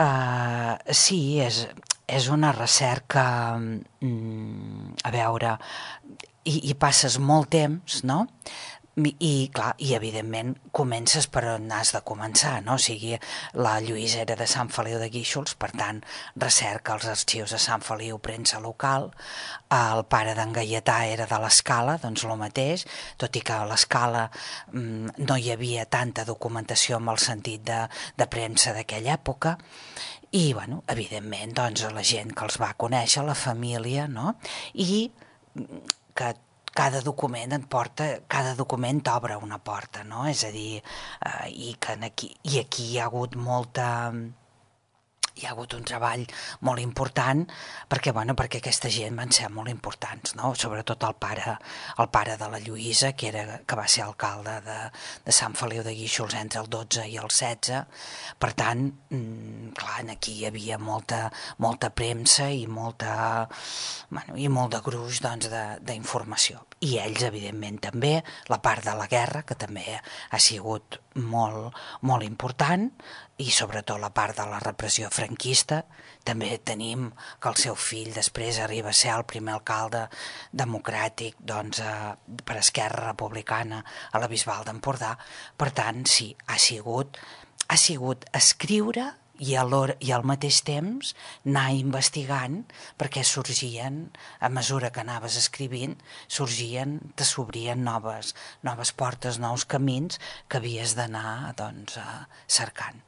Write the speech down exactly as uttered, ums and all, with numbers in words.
Uh, sí, és, és una recerca, mm, a veure, i, i passes molt temps, no? I, i clar, i evidentment comences per on has de començar, no? O sigui, la Lluïsa era de Sant Feliu de Guíxols, per tant, recerca els arxius de Sant Feliu, premsa local. El pare d'en Gaietà era de l'Escala, doncs el mateix, tot i que a l'Escala mm, no hi havia tanta documentació amb el sentit de, de premsa d'aquella època. I, bueno, evidentment, doncs, la gent que els va conèixer, la família, no? I que cada document et porta, cada document t'obre una porta, no? És a dir, eh, i, que aquí, i aquí hi ha hagut molta, hi ha hagut un treball molt important perquè, bueno, perquè aquesta gent van ser molt importants, no? Sobretot el pare, el pare de la Lluïsa, que, era, que va ser alcalde de, de Sant Feliu de Guíxols entre el dotze i el setze. Per tant, mmm, clar, aquí hi havia molta, molta premsa i, molta, bueno, i molt de gruix, doncs, d'informació. I ells, evidentment, també, la part de la guerra, que també ha sigut molt, molt important, i sobretot la part de la repressió franquista. També tenim que el seu fill després arriba a ser el primer alcalde democràtic, doncs, eh, per Esquerra Republicana a la Bisbal d'Empordà. Per tant, sí, ha sigut, ha sigut escriure i, alhora, i al mateix temps anar investigant, perquè sorgien, a mesura que anaves escrivint, sorgien, te s'obrien noves, noves portes, nous camins que havies d'anar, doncs, cercant.